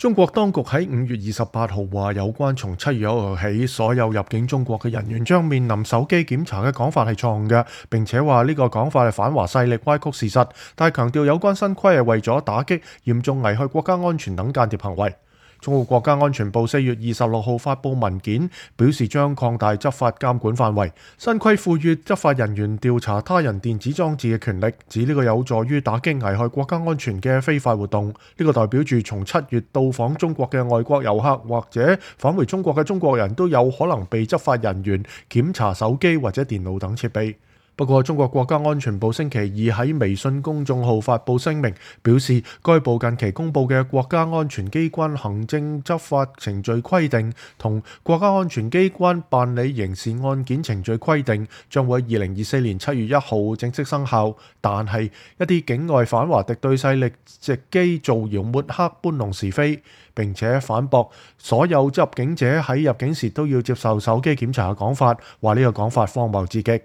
中國當局喺5月28號話，有關從7月1號起，所有入境中國嘅人員將面臨手機檢查嘅講法係錯誤嘅，並且話呢個講法係反華勢力歪曲事實，但係強調有關新規係為咗打擊嚴重危害國家安全等間諜行為。中國國家安全部4月26號發布文件，表示將擴大執法監管範圍。新規賦予執法人員調查他人電子裝置嘅權力，指呢個有助於打擊危害國家安全嘅非法活動。呢個代表住從7月到訪中國嘅外國遊客或者返回中國嘅中國人都有可能被執法人員檢查手機或者電腦等設備。不過，中國國家安全部星期二喺微信公眾號發布聲明，表示該部近期公布嘅國家安全機關行政執法程序規定同國家安全機關辦理刑事案件程序規定將會喺2024年7月1號正式生效，但係一啲境外反華敵對勢力藉機造謠抹黑、搬弄是非，並且反駁所有入境者喺入境時都要接受手機檢查嘅講法，話呢個講法荒謬至極。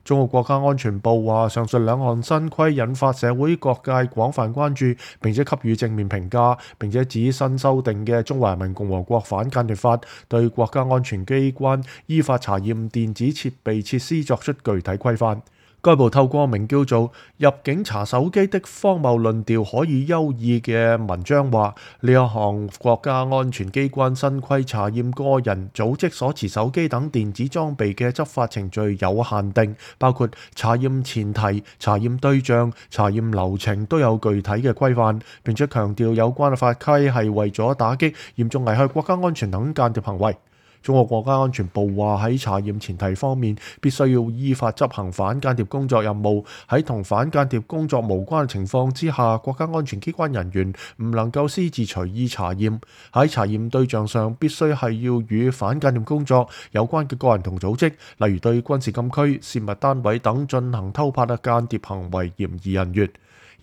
中國國家安全部話，上述兩項新規引發社會各界廣泛關注，並且給予正面評價，並且指新修訂嘅《中華人民共和國反間諜法》對國家安全機關依法查驗電子設備設施作出具體規範。該部透過名叫做《入境查手機的荒謬論調可以優異》嘅文章話，呢一項國家安全機關新規查驗個人、組織所持手機等電子裝備嘅執法程序有限定，包括查驗前提、查驗對象、查驗流程都有具體嘅規範，並且強調有關嘅法規係為咗打擊嚴重危害國家安全等間諜行為。中國國家安全部話，喺查驗前提方面，必須要依法執行反間諜工作任務。喺同反間諜工作無關嘅情況之下，國家安全機關人員唔能夠私自隨意查驗。喺查驗對象上，必須係要與反間諜工作有關嘅個人同組織，例如對軍事禁區、泄密單位等進行偷拍嘅間諜行為嫌疑人員。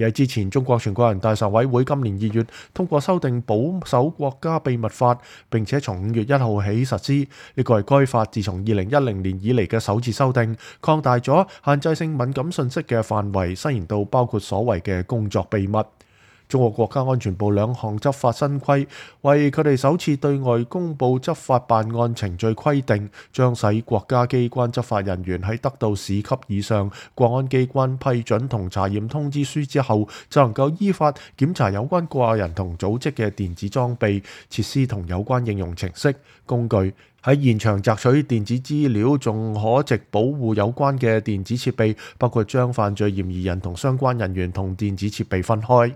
而喺之前，中國全國人大常委會今年2月通過修訂保守國家秘密法，並且從5月1號起實施。呢個係該法自從2010年以嚟嘅首次修訂，擴大咗限制性敏感信息嘅範圍，伸延到包括所謂嘅工作秘密。中國國家安全部兩項執法新規，為佢哋首次對外公佈執法辦案程序規定，將使國家機關執法人員喺得到市級以上國安機關批准同查驗通知書之後，就能夠依法檢查有關個人同組織嘅電子裝備、設施同有關應用程式、工具。喺現場摘取電子資料，仲可藉保護有關嘅電子設備，包括將犯罪嫌疑人同相關人員同電子設備分開。